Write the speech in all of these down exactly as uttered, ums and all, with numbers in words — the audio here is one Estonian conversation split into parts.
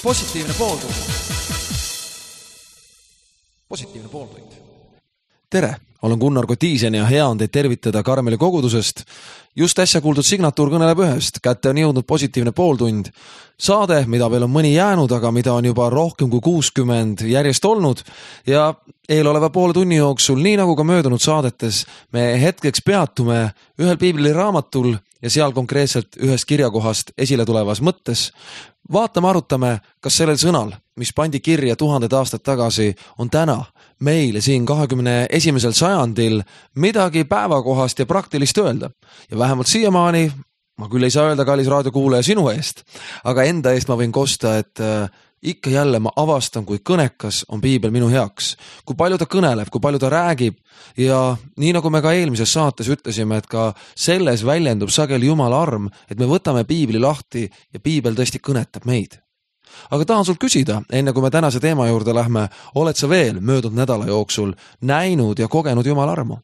positiivne pooltund. Positiivne pooltund. Tere, olen Gunnar Kotiisen ja hea on teid tervitada Karmeli kogudusest. Just äsja kuuldud signatuur kõneleb ühest. Kätte on jõudnud positiivne pooltund. Saade, mida veel on mõni jäänud, aga mida on juba rohkem kui kuuskümmend järjest olnud. Ja eeloleva poole tunni jooksul, nii nagu ka möödunud saadetes, me hetkeks peatume ühel piibli raamatul ja seal konkreetselt ühest kirjakohast esile tulevas mõttes. Vaatame, arutame, kas sellel sõnal, mis pandi kirja tuhanded aastad tagasi, on täna meile siin kahekümne esimesel sajandil midagi päevakohast ja praktilist öelda. Ja vähemalt siiamaani, ma küll ei saa öelda, kallis raadiokuulaja, sinu eest, aga enda eest ma võin kosta, et äh, ikka jälle ma avastan, kui kõnekas on piibel minu heaks. Kui palju ta kõneleb, kui palju ta räägib ja nii nagu me ka eelmises saates ütlesime, et ka selles väljendub sageli Jumala arm, et me võtame piibli lahti ja piibel tõesti kõnetab meid. Aga tahan sult küsida, enne kui me tänase teema juurde lähme, oled sa veel möödunud nädala jooksul näinud ja kogenud Jumala armu?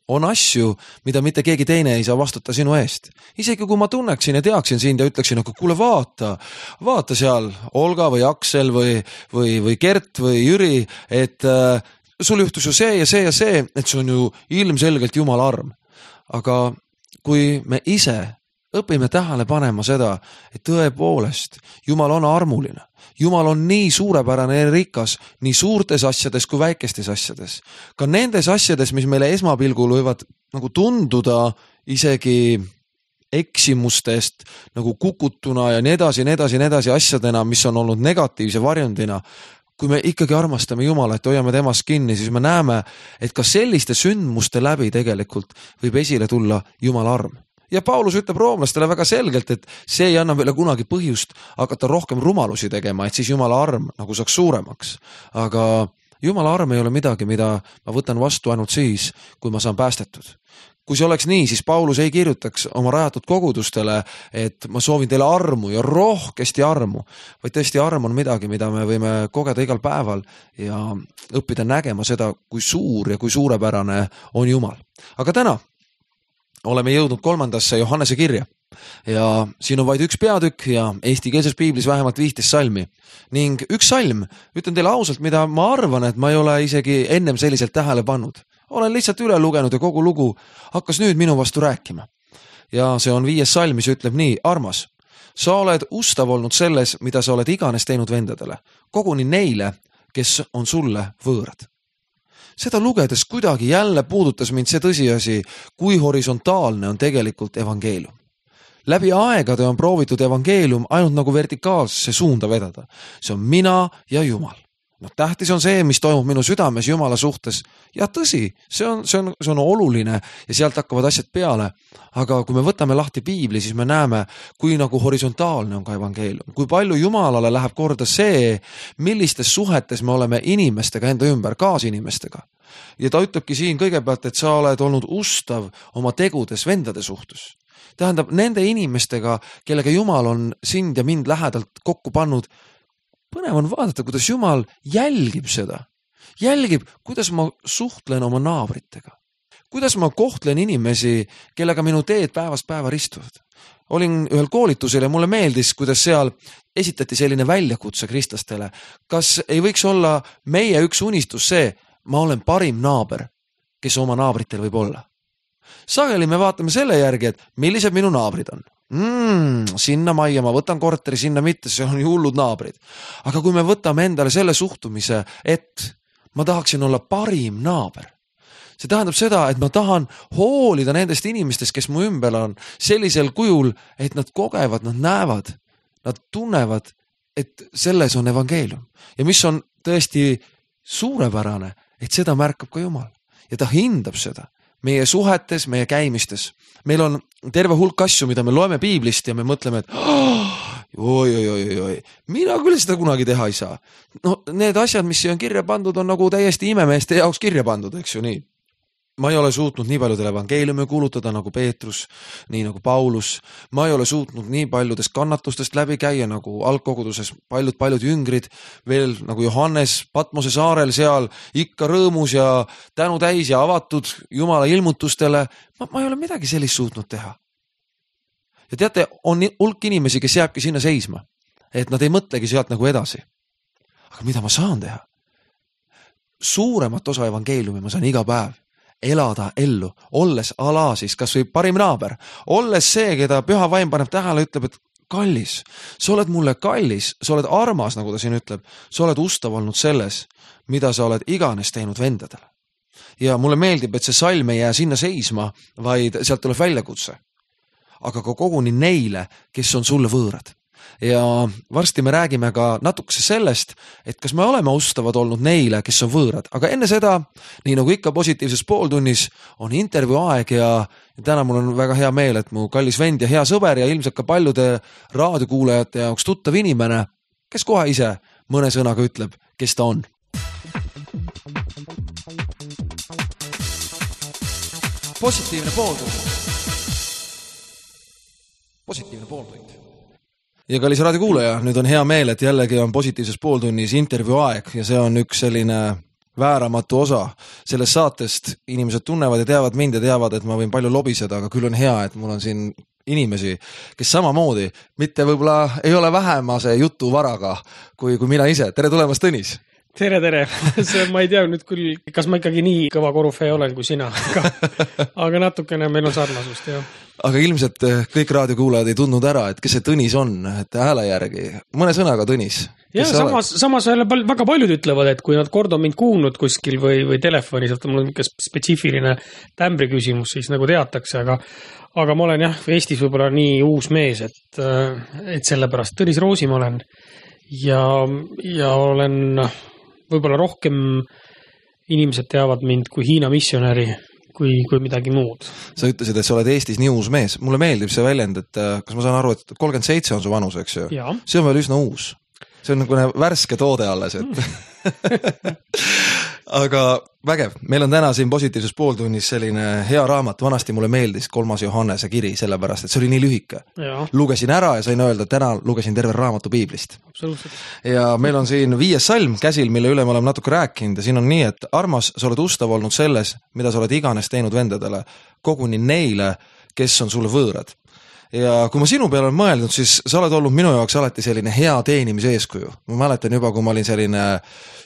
On asju, mida mitte keegi teine ei saa vastuta sinu eest. Isegi kui ma tunneksin ja teaksin sind ja ütleksin, aga kuule vaata, vaata seal Olga või Aksel või, või, või Gert või Jüri, et äh, sul juhtus ju see ja see ja see, et see on ju ilmselgelt Jumala arm. Aga kui me ise õpime tähele panema seda, et tõepoolest Jumal on armuline. Jumal on nii suurepärane ja rikas nii suurtes asjades kui väikestes asjades. Ka nendes asjades, mis meile esmapilgul võivad nagu tunduda isegi eksimustest nagu kukutuna ja nii edasi, nii edasi, nii edasi asjadena, mis on olnud negatiivse varjundina. Kui me ikkagi armastame Jumala, et hoiame temast kinni, siis me näeme, et ka selliste sündmuste läbi tegelikult võib esile tulla Jumala arm. Ja Paulus ütleb roomlastele väga selgelt, et see ei anna meile kunagi põhjust hakata rohkem rumalusi tegema, et siis Jumala arm nagu saaks suuremaks. Aga Jumala arm ei ole midagi, mida ma võtan vastu ainult siis, kui ma saan päästetud. Kui see oleks nii, siis Paulus ei kirjutaks oma rajatud kogudustele, et ma soovin teile armu ja rohkesti armu, vaid tõesti arm on midagi, mida me võime kogeda igal päeval ja õppida nägema seda, kui suur ja kui suurepärane on Jumal. Aga täna oleme jõudnud kolmandasse Johannese kirja ja siin on vaid üks peatükk ja eestikeelses piiblis vähemalt viisteist salmi. Ning üks salm, ütlen teile ausalt, mida ma arvan, et ma ei ole isegi ennem selliselt tähele pannud. Olen lihtsalt üle lugenud ja kogu lugu hakkas nüüd minu vastu rääkima. Ja see on viies salm, mis ütleb nii: armas, sa oled ustav olnud selles, mida sa oled iganes teinud vendadele, koguni neile, kes on sulle võõrad. Seda lugedes kuidagi jälle puudutas mind see tõsiasi, kui horisontaalne on tegelikult evangeelium. Läbi aegade on proovitud evangeelium ainult nagu vertikaalsesse suunda vedada. See on mina ja Jumal. No, tähtis on see, mis toimub minu südames Jumala suhtes. Ja tõsi, see on, see on, see on oluline ja sealt hakkavad asjad peale. Aga kui me võtame lahti piibli, siis me näeme, kui nagu horisontaalne on ka evangeelium. Kui palju Jumalale läheb korda see, millistes suhetes me oleme inimestega enda ümber, kaasinimestega. Ja ta ütlebki siin kõigepealt, et sa oled olnud ustav oma tegudes vendade suhtes. Tähendab, nende inimestega, kellega Jumal on sind ja mind lähedalt kokku pannud, põnev on vaadata, kuidas Jumal jälgib seda. Jälgib, kuidas ma suhtlen oma naabritega. Kuidas ma kohtlen inimesi, kellega minu teed päevast päeva ristuvad. Olin ühel koolitusel ja mulle meeldis, kuidas seal esitati selline väljakutse kristlastele. Kas ei võiks olla meie üks unistus see, ma olen parim naaber, kes oma naabritel võib olla. Sageli me vaatame selle järgi, et millised minu naabrid on. Mm, sinna majja, ma võtan korteri, sinna mitte, see on ju hullud naabrid. Aga kui me võtame endale selle suhtumise, et ma tahaksin olla parim naaber, see tähendab seda, et ma tahan hoolida nendest inimestest, kes mu ümber on sellisel kujul, et nad kogevad, nad näevad, nad tunnevad, et selles on evangeelium. Ja mis on tõesti suurepärane, et seda märkab ka Jumal. Ja ta hindab seda meie suhetes, meie käimistes. Meil on terve hulk asju, mida me loeme piiblist ja me mõtleme, et oi, oi, oi, oi, mina küll seda kunagi teha ei saa. No, need asjad, mis siia on kirja pandud, on nagu täiesti imemeeste jaoks kirja pandud, eks ju nii. Ma ei ole suutnud nii paljudel evangeeliumi kuulutada nagu Peetrus, nii nagu Paulus. Ma ei ole suutnud nii paljudest kannatustest läbi käia nagu algkoguduses paljud-paljud jüngrid, veel nagu Johannes Patmose saarel seal ikka rõõmus ja tänu täis ja avatud Jumala ilmutustele. Ma, ma ei ole midagi sellist suutnud teha. Ja teate, on hulk inimesi, kes jääbki sinna seisma. et nad ei mõtlegi sealt nagu edasi. Aga mida ma saan teha? Suuremat osa evangeeliumi ma saan iga päev elada ellu, olles ala siis kas või parim naaber, olles see, keda püha vaim paneb tähele, ütleb, et kallis, sa oled mulle kallis, sa oled armas, nagu ta siin ütleb, sa oled ustav olnud selles, mida sa oled iganes teinud vendadele. Ja mulle meeldib, et see salm ei jää sinna seisma, vaid sealt tuleb väljakutse. Aga ka koguni neile, kes on sulle võõrad. Ja varsti me räägime ka natukese sellest, et kas me oleme ustavad olnud neile, kes on võõrad. Aga enne seda, nii nagu ikka positiivses pooltunnis, on intervjuu aeg ja täna mul on väga hea meel, et mu kallis vend ja hea sõber ja ilmselt ka paljude raadiokuulajate jaoks tuttav inimene, kes kohe ise mõne sõnaga ütleb, kes ta on. Positiivne pooltund. Positiivne pooltund. Ja kallis raadiokuulaja, nüüd on hea meel, et jällegi on positiivses pooltunnis intervjuu aeg ja see on üks selline vääramatu osa sellest saatest. Inimesed tunnevad ja teavad mind ja teavad, et ma võin palju lobiseda, aga küll on hea, et mul on siin inimesi, kes samamoodi mitte võib-olla ei ole vähemase jutu varaga kui, kui mina ise. Tere tulemast, Tõnis! Tere, tere! See, ma ei tea nüüd küll, kas ma ikkagi nii kõva korufee olen kui sina, aga, aga natukene meil on sarnasust, jah. Aga ilmselt kõik raadiokuulajad ei tundnud ära, et kes see Tõnis on, et hääle järgi. Mõne sõnaga Tõnis. Ja samas, samas väga paljud ütlevad, et kui nad kord on mind kuulnud kuskil või, või telefonis, et mul on spetsiifiline tämbri küsimus, siis nagu teatakse, aga, aga ma olen jah, Eestis võib-olla nii uus mees, et, et sellepärast Tõnis Roosimaa olen ja, ja olen võib-olla rohkem inimesed teavad mind kui Hiina missionäri, kui, kui midagi muud. Sa ütlesid, et sa oled Eestis nii uus mees. Mulle meeldib see väljend, et kas ma saan aru, et kolmkümmend seitse on su vanus, eks ju? Ja. See on veel üsna uus. See on nagu värske toode alles, et mm. Aga vägev, meil on täna siin positiivses pooltunnis selline hea raamat, vanasti mulle meeldis kolmas Johannese kiri, sellepärast, et see oli nii lühike. Ja. Lugesin ära ja sain öelda, et täna lugesin terve raamatu piiblist. Absoluutselt. Ja meil on siin viies salm käsil, mille üle me oleme natuke rääkinud ja siin on nii, et armas, sa oled ustav olnud selles, mida sa oled iganes teinud vendadele, koguni neile, kes on sulle võõrad. Ja kui ma sinu peale olen mõeldnud, siis sa oled olnud minu jaoks alati selline hea teenimise eeskuju. Ma mäletan juba, kui ma olin selline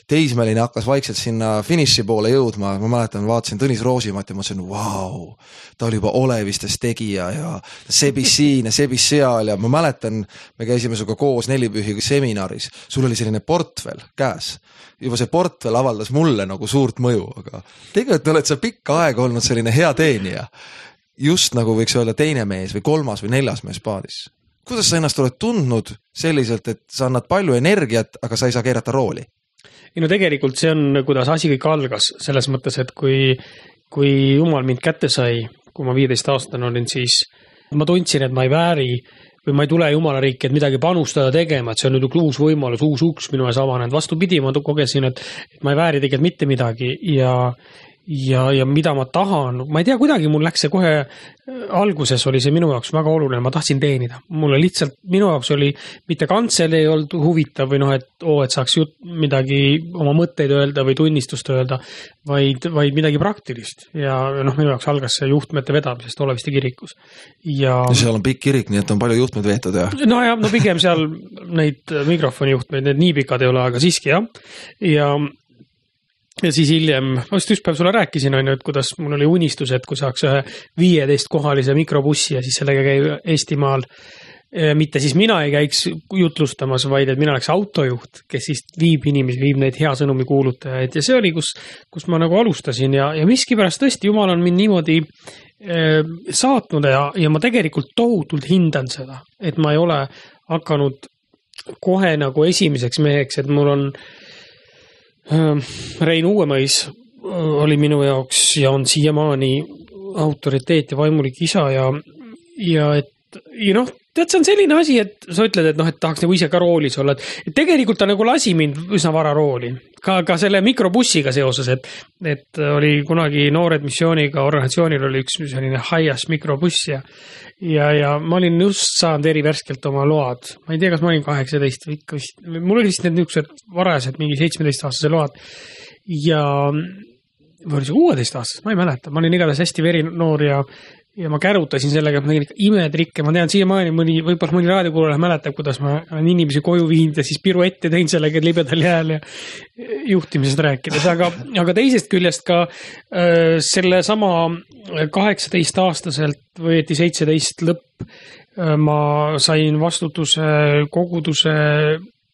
teismeline, hakkas vaikselt sinna finiši poole jõudma. Ma mäletan, vaatasin Tõnis Roosimat ja mõtlesin, vau, ta oli juba olevistes tegija ja sebis siin ja sebis seal ja ma mäletan, me käisime suga koos nelipühi seminaris. Sul oli selline portfel käes. Juba see portfel avaldas mulle nagu suurt mõju, aga tegelikult oled sa pikka aega olnud selline hea teenija. Just nagu võiks öelda teine mees või kolmas või neljas mees paadis. Kuidas sa ennast oled tundnud selliselt, et sa annad palju energiat, aga sa ei saa keerata rooli? Ei, no tegelikult see on, kuidas asi kõik algas selles mõttes, et kui, kui Jumal mind kätte sai, kui ma viieteist aastane olin, siis ma tundsin, et ma ei vääri või ma ei tule Jumala riiki, et midagi panustada tegema, et see on nüüd uus võimalus, uus uks minu ees avanenud. Vastupidi, ma kogesin, et, et ma ei vääri tegelikult mitte midagi ja Ja, ja mida ma tahan, ma ei tea, kuidagi mul läks see kohe, alguses oli see minu jaoks väga oluline, ma tahtsin teenida. Mulle lihtsalt, minu jaoks oli mitte kantsel ei olnud huvitav või noh, et, oo, et saaks jut, midagi oma mõtteid öelda või tunnistust öelda, vaid, vaid midagi praktilist. Ja noh, minu jaoks algas see juhtmete vedamisest Oleviste kirikus. Ja seal on pikk kirik, nii et on palju juhtmed veetud, jah? No ja, no pigem seal neid mikrofoni juhtmeid, need nii pikad ei ole, aga siiski, jah. Ja Ja siis hiljem, ma just üks päev sulle rääkisin, on ju, et kuidas mul oli unistus, et kui saaks ühe viieteist kohalise mikrobussi ja siis sellega käib Eestimaal, mitte siis mina ei käiks jutlustamas, vaid et mina oleks autojuht, kes siis viib inimesi, viib neid hea sõnumi kuulutajaid ja see oli, kus, kus ma nagu alustasin ja, ja miskipärast tõesti Jumal on mind niimoodi eh, saatnud ja, ja ma tegelikult tohutult hindan seda, et ma ei ole hakanud kohe nagu esimeseks meheks, et mul on Rein Uuemõis oli minu jaoks ja on siiamaani autoriteet ja vaimulik isa ja, ja et ja noh, tead, see on selline asi, et sa ütled, et noh, et tahaks nagu ise ka roolis olla, et tegelikult ta nagu lasi mind üsna vara rooli. Ka, ka selle mikrobussiga seoses, et, et oli kunagi Noored missiooniga organisatsioonil oli üks selline Hias mikrobuss ja, ja, ja ma olin just saanud erivärskelt oma load. Ma ei tea, kas ma olin kaheksateist või ikka vist. Mul oli vist need niisugused varajased mingi seitsmeteist aastase load ja või oli see kuueteist aastast, ma ei mäleta. Ma olin igatahes hästi verinoor ja ja ma kärutasin sellega, et ma tegin ikka imetrikke, ma tean siiamaani mõni, võib-olla mõni raadiokuulaja mäletab, kuidas ma olen inimesi koju viinud ja siis piruette teinud sellega libedal jääl ja juhtimisest rääkides, aga, aga teisest küljest ka äh, selle sama kaheksateist aastaselt või õieti seitseteist lõpp äh, ma sain vastutuse koguduse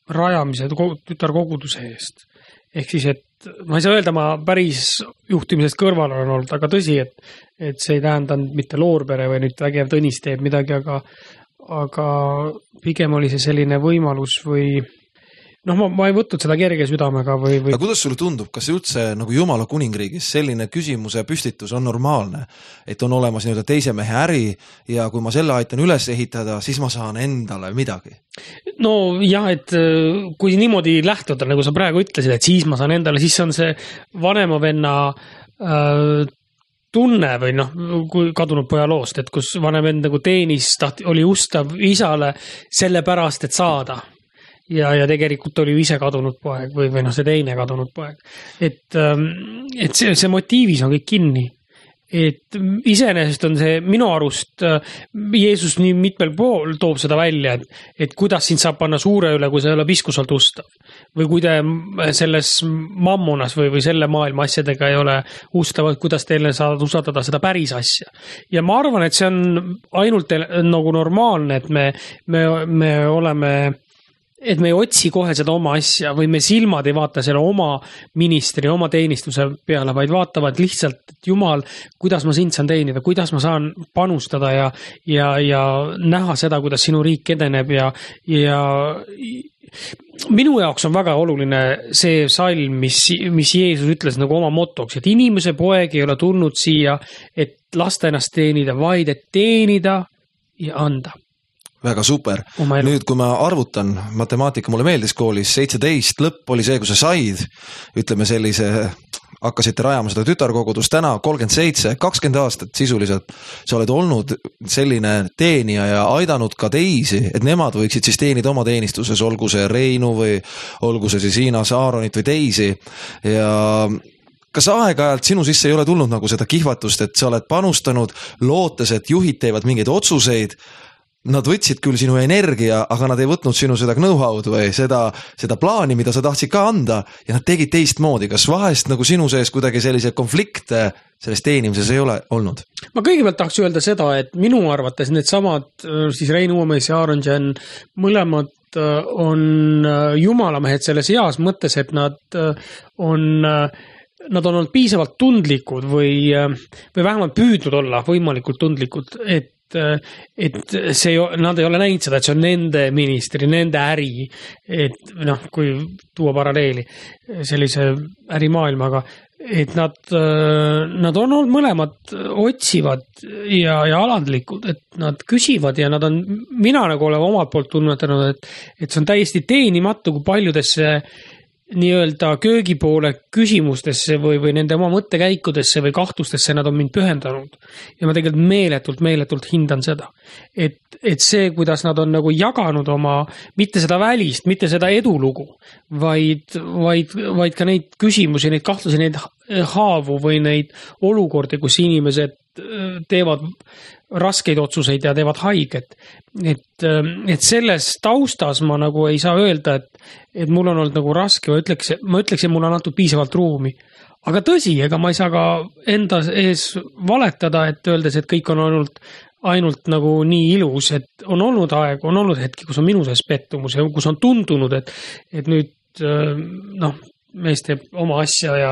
rajamise, tütarkoguduse eest. Ehk siis, et ma ei saa öelda, ma päris juhtimisest kõrval olen olnud, aga tõsi, et, et see ei tähendanud mitte loorbere või nüüd vägev Tõnis teeb midagi, aga, aga pigem oli see selline võimalus või noh, ma, ma ei võtnud seda kerge südamega või, või... aga kuidas sulle tundub, kas üldse nagu Jumala kuningriigis selline küsimuse püstitus on normaalne, et on olemas nii-öelda teise mehe äri ja kui ma selle aitan üles ehitada, siis ma saan endale midagi? No jah, et kui niimoodi lähtuda, nagu sa praegu ütlesid, et siis ma saan endale, siis on see vanema venna äh, tunne või noh, kui kadunud poja loost, et kus vanem vend nagu teenis, tahti, oli ustav isale selle pärast, et saada. Ja, ja tegelikult oli ju ise kadunud poeg või, või noh, see teine kadunud poeg. Et, et see, see motiivis on kõik kinni. Et iseenesest on see minu arust, Jeesus nii mitmel pool toob seda välja, et, et kuidas sind saab panna suure üle, kui sa ei ole piskusalt ustav. Või kui te selles mammonas või, või selle maailma asjadega ei ole ustavad, kuidas teile saad usaldada seda päris asja. Ja ma arvan, et see on ainult nagu normaalne, et me, me, me oleme... et me ei otsi kohe seda oma asja või me silmad ei vaata selle oma ministri, oma teenistuse peale, vaid vaatavad lihtsalt, et Jumal, kuidas ma sind saan teenida, kuidas ma saan panustada ja, ja, ja näha seda, kuidas sinu riik edeneb ja, ja minu jaoks on väga oluline see salm, mis, mis Jeesus ütles nagu oma motoks, et inimese poeg ei ole tulnud siia, et lasta ennast teenida, vaid et teenida ja anda. Väga super. Nüüd, kui ma arvutan, matemaatika mulle meeldis koolis, seitseteist lõpp oli see, kui sa said, ütleme sellise, hakkasite rajama seda tütarkogudust, täna kolmkümmend seitse, kakskümmend aastat sisuliselt, sa oled olnud selline teenija ja aidanud ka teisi, et nemad võiksid siis teenida oma teenistuses, olgu see Reinu või olgu see siis Hiinas, Aaronit või teisi ja kas aeg-ajalt sinu sisse ei ole tulnud nagu seda kihvatust, et sa oled panustanud, lootes, et juhid teevad mingeid otsuseid, nad võtsid küll sinu energia, aga nad ei võtnud sinu seda know-how'd või seda, seda plaani, mida sa tahtsid ka anda ja nad tegid teistmoodi. Kas vahest nagu sinu sees kuidagi sellise konflikte selles teenimises ei ole olnud? Ma kõigepealt tahaks öelda seda, et minu arvates need samad siis Rein Uuemees ja Aaron Jen mõlemad on jumalamehed selles heas mõttes, et nad on nad on olnud piisavalt tundlikud või, või vähemalt püüdnud olla võimalikult tundlikud, et et see, nad ei ole näinud seda, et see on nende ministri, nende äri, et noh, kui tuua paralleeli sellise ärimaailmaga, et nad, nad on olnud mõlemad otsivad ja, ja alandlikud, et nad küsivad ja nad on, mina nagu olen omalt poolt tunnetanud, et, et see on täiesti teenimatu, kui paljudesse nii-öelda köögipoole küsimustesse või, või nende oma mõttekäikudesse või kahtlustesse nad on mind pühendanud. Ja ma tegelikult meeletult, meeletult hindan seda. Et, et see, kuidas nad on nagu jaganud oma, mitte seda välist, mitte seda edulugu, vaid, vaid, vaid ka neid küsimusi, neid kahtlusi, neid haavu või neid olukordi, kus inimesed teevad raskeid otsuseid ja teevad haiget. Et, et selles taustas ma nagu ei saa öelda, et, et mul on olnud nagu raske, ma ütleks, ma ütleks, et mul on antud piisavalt ruumi. Aga tõsi, ega ma ei saa ka enda ees valetada, et öeldes, et kõik on olnud ainult nagu nii ilus, et on olnud aeg, on olnud hetki, kus on minu sees pettumus ja kus on tundunud, et, et nüüd noh, mees teeb oma asja ja,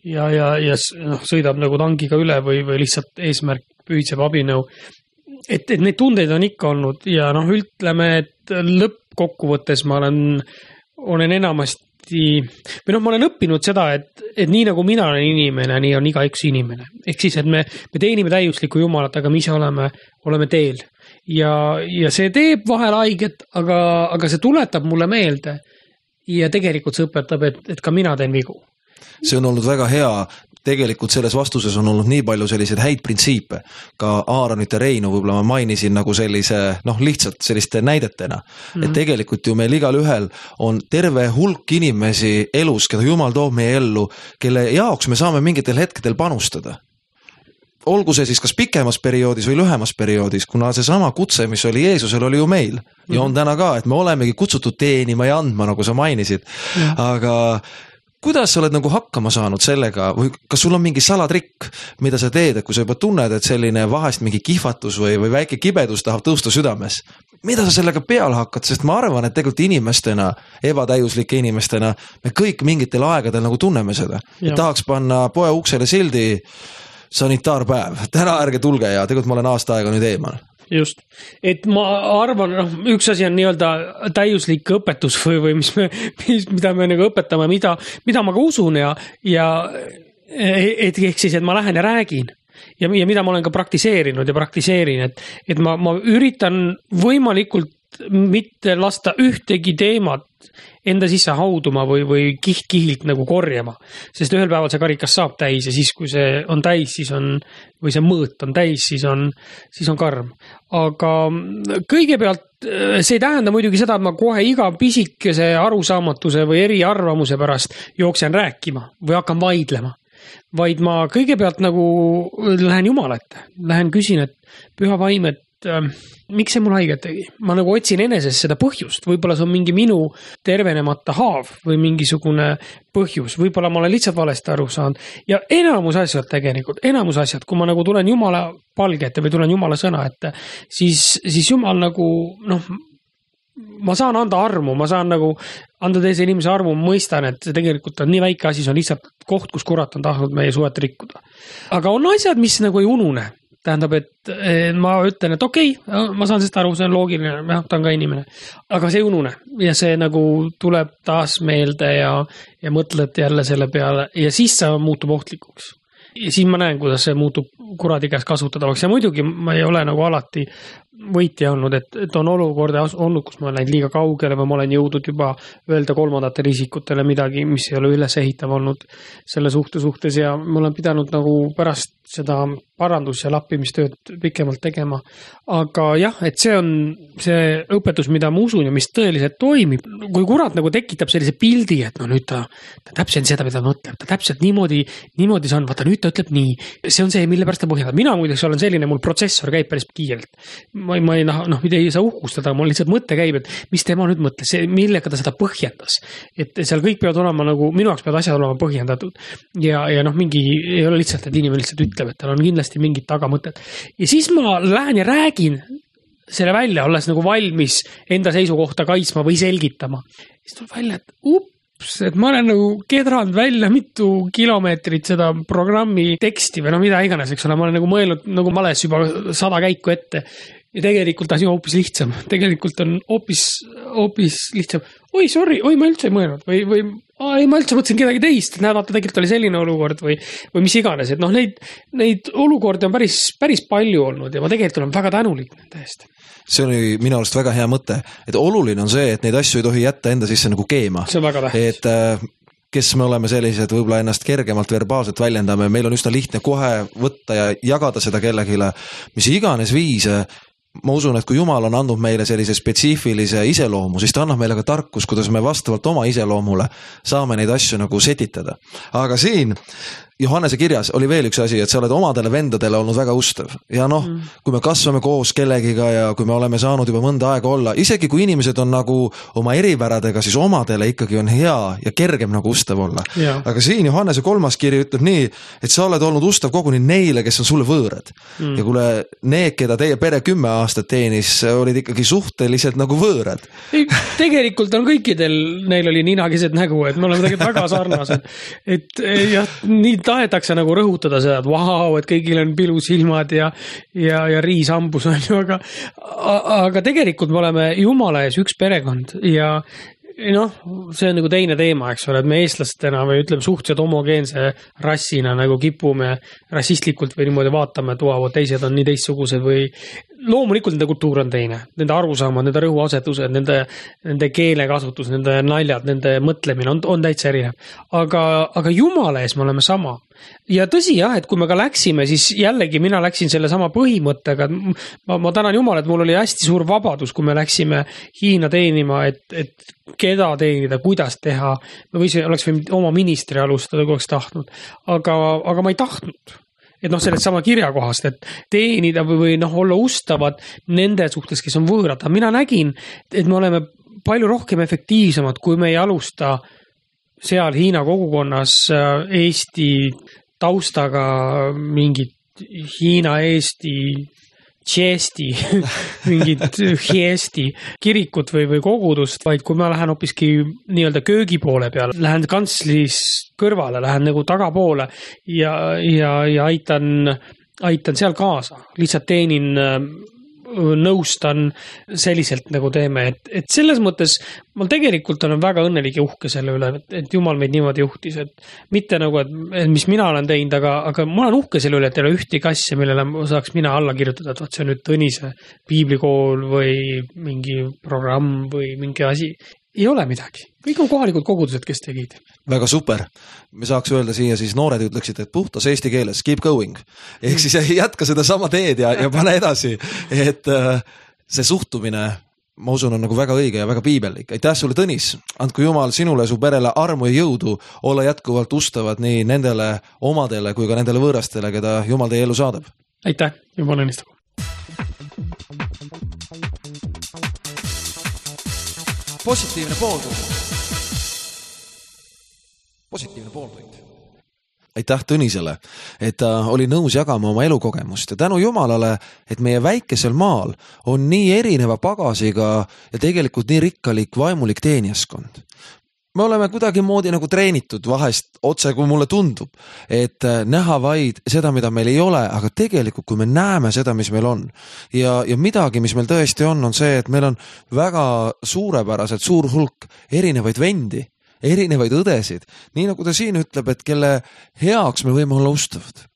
ja, ja, ja noh, sõidab nagu tangiga üle või, või lihtsalt eesmärk püüdseb abinõu. Et, et neid tundeid on ikka olnud ja noh, ütleme, et lõppkokkuvõttes ma olen, olen enamasti, või noh, ma olen õppinud seda, et, et nii nagu mina olen inimene, nii on iga üks inimene. Ehk siis, et me, me teenime täiuslikku Jumalat, aga me ise oleme, oleme teel. Ja, ja see teeb vahel haiget, aga, aga see tuletab mulle meelde ja tegelikult see õpetab, et, et ka mina teen vigu. See on olnud väga hea. Tegelikult selles vastuses on olnud nii palju selliseid häid printsiipe. Ka Aaronit ja Reinu võib-olla ma mainisin nagu sellise, noh lihtsalt selliste näidetena. Mm-hmm. Et tegelikult ju meil igal ühel on terve hulk inimesi elus, keda Jumal toob meie ellu, kelle jaoks me saame mingitel hetkedel panustada. olgu see siis kas pikemas perioodis või lühemas perioodis, kuna see sama kutse, mis oli Jeesusel, oli ju meil ja on täna ka, et me olemegi kutsutud teenima ja andma, nagu sa mainisid, aga kuidas sa oled nagu hakkama saanud sellega või kas sul on mingi salatrikk, mida sa teed, et kui sa juba tunned, et selline vahest mingi kihvatus või, või väike kibedus tahab tõusta südames, mida sa sellega peale hakkad, sest ma arvan, et tegelikult inimestena, ebatäiuslike inimestena, me kõik mingitel aegadel nagu tunneme seda. Tahaks panna poe uksele sildi sanitaarpäev, täna ärge tulge ja tegelikult ma olen aasta aega nüüd eemal. Just, et ma arvan, noh, üks asi on nii-öelda täiuslik õpetus või, või mis me, mis, mida me nagu õpetame, mida, mida ma ka usun ja, ja et ehk siis, et ma lähen ja räägin ja, ja mida ma olen ka praktiseerinud ja praktiseerin, et, et ma, ma üritan võimalikult mitte lasta ühtegi teemat enda sisse hauduma või, või kiht-kihilt nagu korjama, sest ühel päeval see karikas saab täis ja siis, kui see on täis, siis on, või see mõõt on täis, siis on, siis on karm. Aga kõigepealt see ei tähenda muidugi seda, et ma kohe iga pisikese arusaamatuse või eriarvamuse pärast jooksen rääkima või hakkan vaidlema, vaid ma kõigepealt nagu lähen Jumala ette, lähen küsin, et püha vaim, et miks see mul haiget tegi? Ma nagu otsin eneses seda põhjust, võib-olla see on mingi minu tervenemata haav või mingisugune põhjus, võib-olla ma olen lihtsalt valesti aru saanud ja enamus asjad tegelikult, enamus asjad, kui ma nagu tulen Jumala palge ette või tulen Jumala sõna ette, siis, siis Jumal nagu, noh, ma saan anda armu, ma saan nagu anda teise inimese armu, mõistan, et see tegelikult on nii väike asi, see on lihtsalt koht, kus kurat on tahtnud meie suhet rikkuda. Aga on asjad, mis nagu ei unune. Tähendab, et ma ütlen, et okei, okay, ma saan sellest aru, see on loogiline, jah, ta on ka inimene. Aga see ei unune ja see nagu tuleb taas meelde ja, ja mõtled jälle selle peale ja siis see muutub ohtlikuks. Ja siis ma näen, kuidas see muutub kuradi käes kasutadavaks ja muidugi ma ei ole nagu alati võitja olnud, et, et on olukorda olnud, kus ma olen läinud liiga kaugele või ma olen jõudnud juba öelda kolmandatele isikutele midagi, mis ei ole üles ehitav olnud selle suhte suhtes ja ma olen pidanud nagu pärast seda parandus- ja lappimistööd pikemalt tegema. Aga jah, et see on see õpetus, mida ma usun ja mis tõeliselt toimib. Kui kurat nagu tekitab sellise pildi, et no nüüd ta, ta täpselt seda, mida ta mõtleb, ta täpselt niimoodi, niimoodi see on, vaata nüüd ta ütleb nii. See on see, mille pärast ta põhjendab. Mina muideks olen selline, mul protsessor käib päris kiirelt. Ma, ma ei, noh, mida ei saa uhkustada, mul lihtsalt mõte käib, et mis tema nüüd mõtles, millega ta seda põhjendas. Et seal kõik peavad olema nagu, minu jaoks peavad asjad olema põhjendatud. Ja, ja noh, mingi ei ole lihtsalt, et inimene lihtsalt ütleb, et tal on kindlasti mingit tagamõtet. Ja siis ma lähen ja räägin selle välja, olles nagu valmis enda seisukohta kaitsma või selgitama. Siis tuleb välja, et ups, et ma olen nagu kedranud välja mitu kilomeetrit seda programmi teksti või no mida iganes, eks ole, ma olen nagu mõelnud nagu males juba sada käiku ette. Ja tegelikult asi on hoopis lihtsam. Tegelikult on hoopis, hoopis lihtsam. Oi, sorry, oi, ma üldse ei mõelnud. Või, või ai, ma üldse mõtlesin kedagi teist. Näed, vaata, tegelikult oli selline olukord või, või mis iganes. Et noh, neid, neid olukordi on päris, päris palju olnud ja ma tegelikult olen väga tänulik nende eest. See oli minu arust väga hea mõte. Et oluline on see, et neid asju ei tohi jätta enda sisse nagu keema. See on väga tähtis. Et äh, kes me oleme sellised, võib-olla ennast kergemalt verbaalselt väljendame, meil on üsna lihtne kohe võtta ja jagada seda kellegile, mis iganes viise. Ma usun, et kui Jumal on andnud meile sellise spetsiifilise iseloomu, siis ta annab meile ka tarkus, kuidas me vastavalt oma iseloomule saame neid asju nagu setitada. Aga siin Johannese kirjas oli veel üks asi, et sa oled omadele vendadele olnud väga ustav. Ja noh, mm. kui me kasvame koos kellegiga ja kui me oleme saanud juba mõnda aega olla, isegi kui inimesed on nagu oma eripäradega, siis omadele ikkagi on hea ja kergem nagu ustav olla. Ja. Aga siin Johannese kolmas kiri ütleb nii, et sa oled olnud ustav koguni neile, kes on sulle võõrad. Mm. Ja kuule, need, keda teie pere kümme aastat teenis, olid ikkagi suhteliselt nagu võõrad. Tegelikult on kõikidel, neil oli ninakesed nägu, et me oleme tegelikult väga sarnased. Et jah, nii tahetakse nagu rõhutada seda, et vau, et kõigil on pilusilmad ja, ja, ja riisambus on ju, aga, aga tegelikult me oleme Jumala ees üks perekond ja noh, see on nagu teine teema, eks ole, et me eestlastena või ütleme suhteliselt homogeense rassina nagu kipume rassistlikult või niimoodi vaatame, et vau, teised on nii teistsugused või loomulikult nende kultuur on teine, nende arusaamad, nende rõhuasetused, nende, nende keelekasutus, nende naljad, nende mõtlemine on, on täitsa erinev. Aga, aga Jumala ees me oleme sama. Ja tõsi jah, et kui me ka läksime, siis jällegi mina läksin selle sama põhimõttega. Ma, ma tänan Jumala, et mul oli hästi suur vabadus, kui me läksime Hiina teenima, et, et keda teenida, kuidas teha. Me võis, oleks võinud oma ministri alustada, kui oleks tahtnud. Aga, aga ma ei tahtnud. et noh, sellest sama kirjakohast, et teenida või, või noh, olla ustavad nende suhtes, kes on võõrad. Mina nägin, et me oleme palju rohkem efektiivsemad, kui me ei alusta seal Hiina kogukonnas Eesti taustaga mingit Hiina, Eesti, Tšeesti, mingit Hiesti kirikut või, või kogudust, vaid kui ma lähen hoopiski nii-öelda köögi poole peale, lähen kantslis kõrvale, lähen nagu tagapoole ja, ja, ja aitan, aitan seal kaasa. Lihtsalt teenin, nõustan selliselt nagu teeme, et, et selles mõttes ma tegelikult olen väga õnnelik ja uhke selle üle, et, et Jumal meid niimoodi juhtis, et mitte nagu, et mis mina olen teinud, aga, aga ma olen uhke selle üle, et ei ole ühtegi asja, millele saaks mina alla kirjutada, et vaat see on nüüd Tõnise piiblikool või mingi programm või mingi asi. Ei ole midagi. Kõik on kohalikud kogudused, kes tegid. Väga super. Me saaks öelda siia siis noored ütleksid, et puhtas eesti keeles, keep going. Ehk siis jätka seda sama teed ja, ja pane edasi. Et see suhtumine, ma usun, on nagu väga õige ja väga piibellik. Aitäh sulle, Tõnis. Andku Jumal sinule, su perele armu ja jõudu olla jätkuvalt ustavad nii nendele omadele kui ka nendele võõrastele, keda Jumal teie ellu saadab. Aitäh. Jumal õnnistagu. Positiivne pooltund. Positiivne pooltund. Aitäh Tõnisele, et ta oli nõus jagama oma elukogemust ja tänu Jumalale, et meie väikesel maal on nii erineva pagasiga ja tegelikult nii rikkalik vaimulik teenijaskond. Me oleme kuidagi moodi nagu treenitud vahest otse, kui mulle tundub, et näha vaid seda, mida meil ei ole, aga tegelikult, kui me näeme seda, mis meil on ja, ja midagi, mis meil tõesti on, on see, et meil on väga suurepäraselt suur hulk erinevaid vendi, erinevaid õdesid, nii nagu ta siin ütleb, et kelle heaks me võime olla ustavad.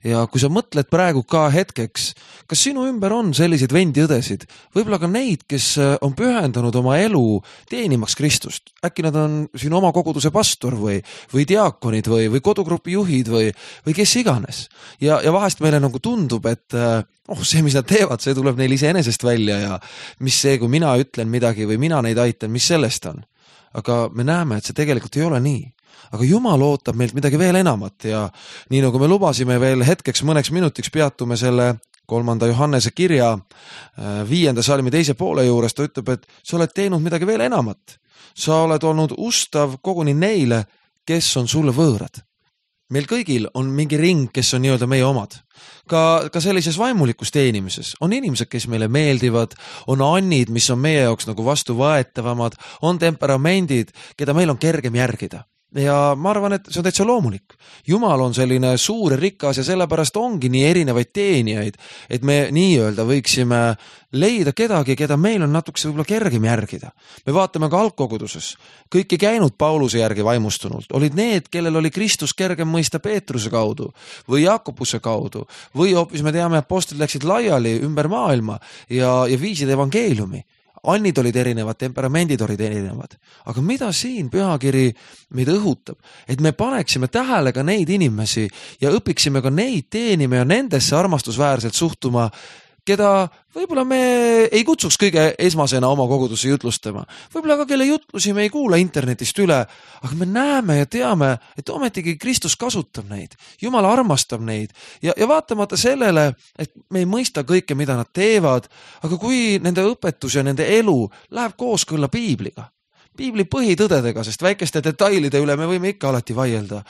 Ja kui sa mõtled praegu ka hetkeks, kas sinu ümber on selliseid vendi-õdesid, võib-olla ka neid, kes on pühendanud oma elu teenimaks Kristust. Äkki nad on sinu oma koguduse pastor või, või diaakonid või, või kodugrupi juhid või, või kes iganes. Ja, ja vahest meile nagu tundub, et oh, see, mis nad teevad, see tuleb neil iseenesest välja ja mis see, kui mina ütlen midagi või mina neid aitan, mis sellest on. Aga me näeme, et see tegelikult ei ole nii. Aga Jumal ootab meilt midagi veel enamat ja nii nagu me lubasime veel hetkeks mõneks minutiks peatume selle kolmanda Johannese kirja viienda salmi teise poole juures, ta ütleb, et sa oled teinud midagi veel enamat. Sa oled olnud ustav koguni neile, kes on sulle võõrad. Meil kõigil on mingi ring, kes on nii-öelda meie omad. Ka, ka sellises vaimulikus teenimises on inimesed, kes meile meeldivad, on annid, mis on meie jaoks nagu vastuvõetavamad, on temperamendid, keda meil on kergem järgida. Ja ma arvan, et see on täitsa loomulik. Jumal on selline suur ja rikas ja sellepärast ongi nii erinevaid teenijaid, et me nii-öelda võiksime leida kedagi, keda meil on natukese võib-olla kergem järgida. Me vaatame ka algkoguduses. Kõik ei käinud Pauluse järgi vaimustunult. Olid need, kellel oli Kristus kergem mõista Peetruse kaudu või Jakobuse kaudu või hoopis me teame, apostlid läksid laiali ümber maailma ja, ja viisid evangeeliumi. Annid olid erinevad, temperamendid olid erinevad. Aga mida siin pühakiri meid õhutab? Et me paneksime tähele ka neid inimesi ja õpiksime ka neid teenima ja nendesse armastusväärselt suhtuma, keda võib-olla me ei kutsuks kõige esmasena oma kogudusse jutlustama. Võib-olla ka kelle jutlusi me ei kuula internetist üle, aga me näeme ja teame, et ometigi Kristus kasutab neid. Jumal armastab neid ja, ja vaatamata sellele, et me ei mõista kõike, mida nad teevad, aga kui nende õpetus ja nende elu läheb kooskõlla piibliga, piibli põhitõdedega, sest väikeste detailide üle me võime ikka alati vaielda.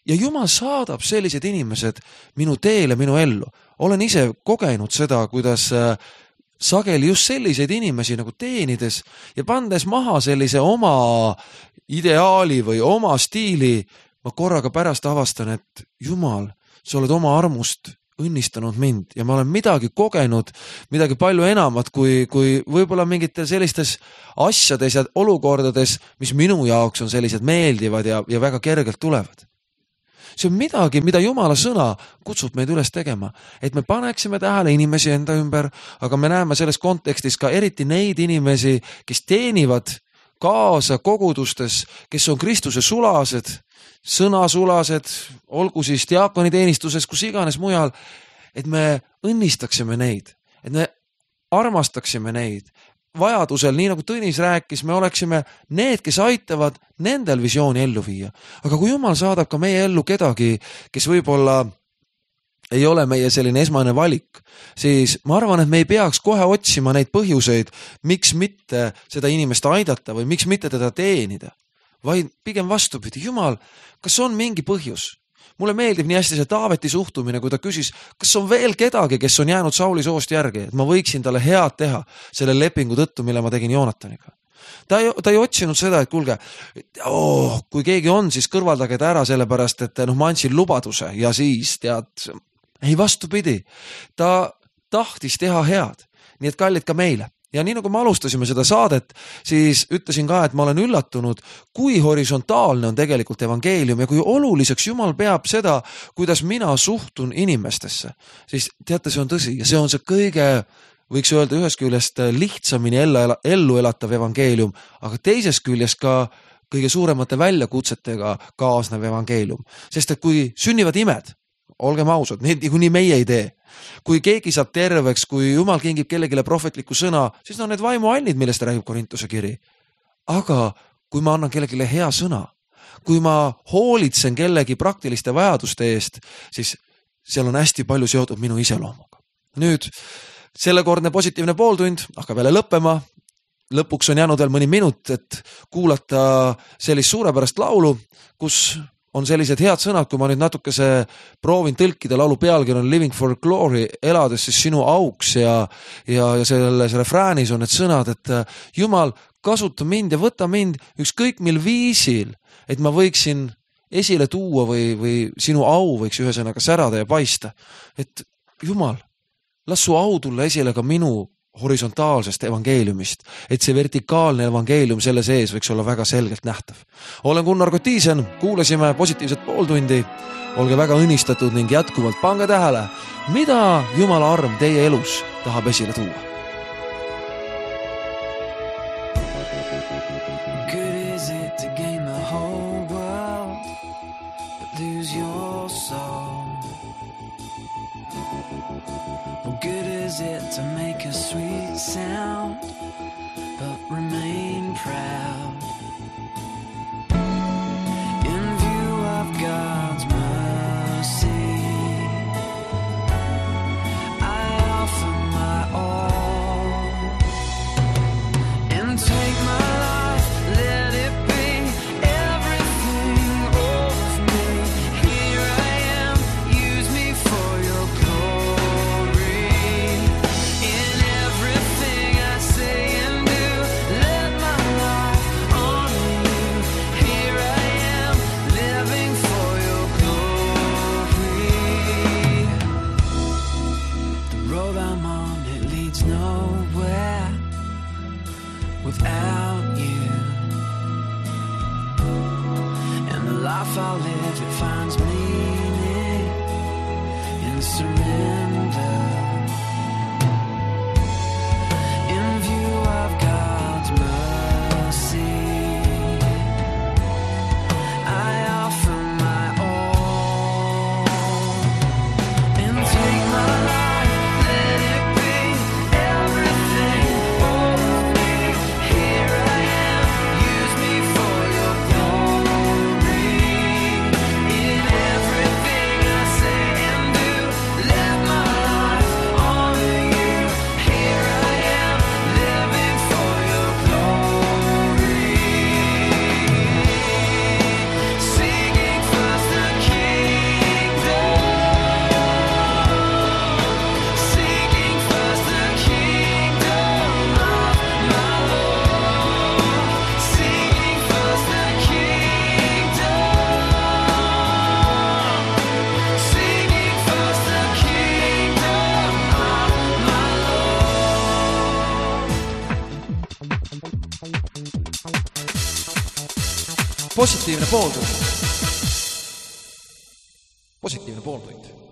Ja Jumal saadab sellised inimesed minu teele, minu ellu. Olen ise kogenud seda, kuidas sageli just selliseid inimesi nagu teenides ja pandes maha sellise oma ideaali või oma stiili, ma korraga pärast avastan, et Jumal, sa oled oma armust õnnistanud mind ja ma olen midagi kogenud, midagi palju enamat kui, kui võib-olla mingitel sellistes asjades ja olukordades, mis minu jaoks on sellised meeldivad ja, ja väga kergelt tulevad. See on midagi, mida Jumala sõna kutsub meid üles tegema, et me paneksime tähele inimesi enda ümber, aga me näeme selles kontekstis ka eriti neid inimesi, kes teenivad kaasa kogudustes, kes on Kristuse sulased, sõnasulased, olgu siis diakoniteenistuses, kus iganes mujal, et me õnnistaksime neid, et me armastaksime neid. Vajadusel, nii nagu Tõnis rääkis, me oleksime need, kes aitavad nendel visiooni ellu viia. Aga kui Jumal saadab ka meie ellu kedagi, kes võib-olla ei ole meie selline esmane valik, siis ma arvan, et me ei peaks kohe otsima neid põhjuseid, miks mitte seda inimest aidata või miks mitte teda teenida, vaid pigem vastupidi, Jumal, kas on mingi põhjus? Mulle meeldib nii hästi see Taaveti suhtumine, kui ta küsis, kas on veel kedagi, kes on jäänud Sauli soost järgi, et ma võiksin talle head teha selle lepingu tõttu, mille ma tegin Joonataniga. Ta ei, ta ei otsinud seda, et kuulge, oh, kui keegi on, siis kõrvaldage ta ära sellepärast, et noh, ma andsin lubaduse ja siis tead, ei vastupidi, ta tahtis teha head, nii et kallid ka meile. Ja nii nagu me alustasime seda saadet, siis ütlesin ka, et ma olen üllatunud, kui horisontaalne on tegelikult evangeelium ja kui oluliseks Jumal peab seda, kuidas mina suhtun inimestesse. Siis teate, see on tõsi ja see on see kõige, võiks öelda ühest küljest lihtsamini ellu elatav evangeelium, aga teisest küljest ka kõige suuremate väljakutsetega kaasnev evangeelium. Sest et kui sünnivad imed, olgem ausad, need kuni meie ei tee. Kui keegi saab terveks, kui Jumal kingib kellegile prohvetliku sõna, siis on need vaimuannid, millest räägib Korintuse kiri. Aga kui ma annan kellegile hea sõna, kui ma hoolitsen kellegi praktiliste vajaduste eest, siis seal on hästi palju seotud minu iseloomuga. Nüüd, sellekordne positiivne pooltund hakkab jälle lõppema. Lõpuks on jäänud veel mõni minut, et kuulata sellist suurepärast laulu, kus on sellised head sõnad, kui ma nüüd natukese proovin tõlkida, laulu pealkiri on Living for Glory, elades siis sinu auks ja, ja, ja selles refräänis on need sõnad, et Jumal, kasuta mind ja võta mind ükskõik mil viisil, et ma võiksin esile tuua või, või sinu au võiks ühesõnaga särada ja paista. Et Jumal, las su au tulla esile ka minu horisontaalsest evangeeliumist, et see vertikaalne evangeelium selle sees võiks olla väga selgelt nähtav. Olen Gunnar Kotiisen, kuulasime positiivset pooltundi, olge väga õnnistatud ning jätkuvalt pange tähele, mida Jumala arm teie elus tahab esile tuua. Good is it to gain the whole world, but lose your soul. Well, good is it to make a sweet sound, but remain proud. In view of God's mercy, I offer my all. And take my life, let it be everything of me. Here I am, use me for your glory. In everything I say and do, let my life honor you. Here I am, living for your glory. The road I'm on, it leads nowhere without you. And the life I live, it finds meaning in surrender. In view of God's mercy, I offer my all. And take my life, let it be everything of me. Here I am, use me for your glory. In everything I say and do, let my life honor you. Here I am, living for your glory. Singing first the kingdom. Seeking first the kingdom of my Lord. Seeking first the kingdom. Seeking first the kingdom of my Lord. Positiivne pooltund. Positiivne pooltund.